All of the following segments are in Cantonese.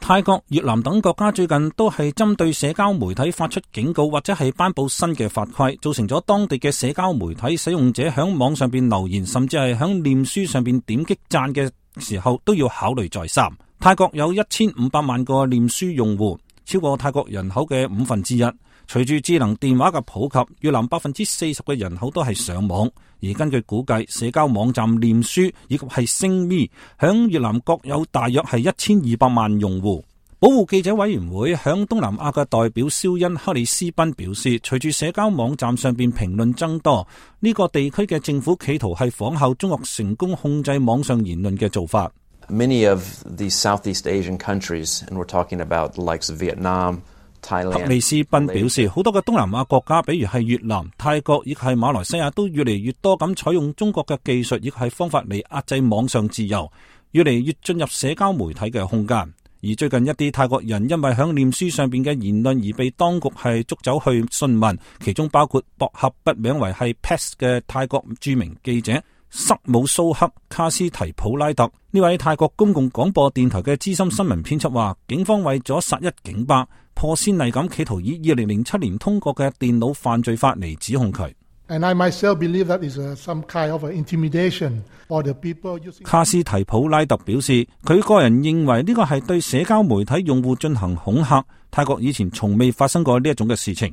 泰國、越南等國家最近都係針對社交媒體發出警告或者係頒布新嘅法規，造成咗當地嘅社交媒體使用者響網上邊留言，甚至係響臉書上邊點擊讚嘅時候都要考慮再三。泰國有1500萬個臉書用戶，超過泰國人口嘅1/5。隨住智能電話嘅普及，越南40%嘅人口都係上網。而根據估計，社交網站臉書以及係星咪響越南各有大約係1200萬用戶。保護記者委員會響東南亞嘅代表肖恩克里斯賓表示，隨住社交網站上邊評論增多，呢個地區嘅政府企圖係仿效中國成功控制網上言論嘅做法。Many of the Southeast Asian countries, and we're talking about the likes of Vietnam, Thailand. 克里斯賓表示，好多嘅東南亞國家，比如係越南、泰國亦係馬來西亞，都越嚟越多咁採用中國嘅技術亦係方法嚟壓制網上自由，越嚟越進入社交媒體嘅空間。而最近一啲泰國人因為響臉書上邊嘅言論而被當局係捉走去訊問，其中包括博合筆名為係 PES 嘅泰國著名記者塞姆蘇克卡斯提普拉特。呢位泰國公共廣播電台嘅資深新聞編輯話，警方為咗殺一儆百，破先例咁企圖以2007年通過嘅電腦犯罪法嚟指控佢。And I myself believe that is some kind of intimidation for the people using. 卡斯提普拉特表示，佢個人認為呢個係對社交媒體用戶進行恐嚇。泰國以前從未發生過呢一種嘅事情。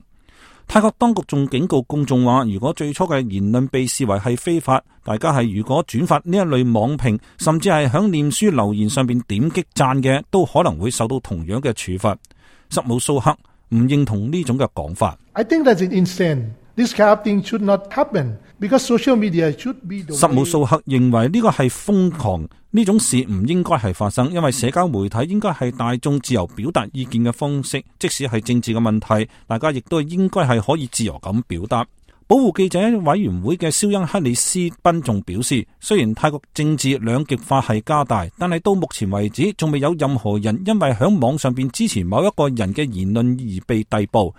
泰國當局仲警告公眾話，如果最初嘅言論被視為係非法，大家係如果轉發呢一類網評，甚至係響臉書留言上邊點擊讚嘅，都可能會受到同樣嘅處罰。塞姆蘇克唔認同呢種嘅講法。I think that's insane.This kind of thing should not happen because social media should be the way. 塞姆蘇克認為呢個係瘋狂，呢種事唔應該係發生，因為社交媒體應該係大眾自由表達意見嘅方式，即使係政治嘅問題，大家亦都應該係可以自由咁表達。保護記者委員會嘅肖恩克里斯賓仲表示，雖然泰國政治兩極化係加大，但係到目前為止仲未有任何人因為響網上邊支持某一個人嘅言論而被逮捕。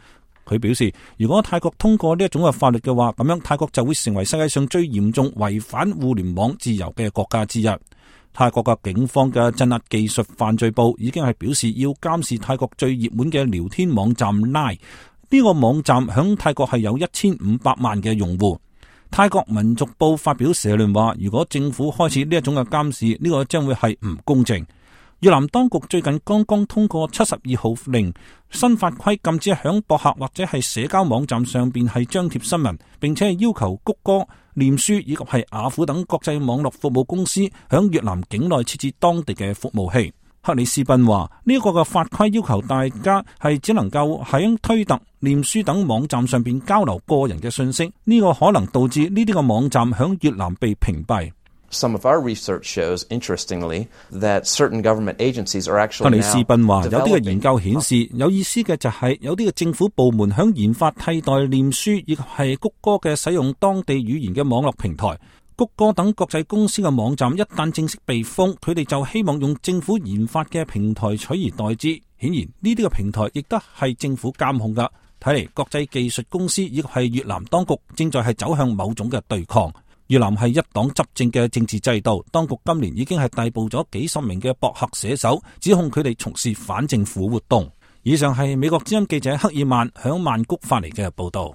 佢表示，如果泰國通過呢一種嘅法律嘅話，咁樣泰國就會成為世界上最嚴重違反互聯網自由嘅國家之一。泰國嘅警方嘅鎮壓技術犯罪部已經係表示要監視泰國最熱門嘅聊天網站 Line。呢個網站響泰國係有1500萬嘅用戶。泰國民族報發表社論話，如果政府開始呢一種嘅監視，呢個將會係唔公正。越南當局最近剛剛通過72號令，新法規禁止響博客或者係社交網站上邊係張貼新聞，並且係要求谷歌、臉書以及係雅虎等國際網絡服務公司響越南境內設置當地嘅服務器。克里斯賓話，呢個嘅法規要求大家係只能夠喺推特、臉書等網站上邊交流個人嘅信息，呢個可能導致呢啲嘅網站響越南被屏蔽。Some of our research shows, interestingly, that certain government agencies are actually now 克里斯賓話，有啲嘅研究顯示，有意思嘅就係有啲嘅政府部門響研發替代臉書以及係谷歌嘅使用當地語言嘅網絡平台。谷歌等國際公司嘅網站一旦正式被封，佢哋就希望用政府研發嘅平台取而代之。顯然呢啲嘅平台亦都係政府監控噶。睇嚟國際技術公司以及係越南當局正在係走向某種嘅對抗。越南係一黨執政嘅政治制度，當局今年已經係逮捕咗幾十名嘅博客寫手，指控佢哋從事反政府活動。以上係美國之音記者克爾曼響曼谷發嚟嘅報道。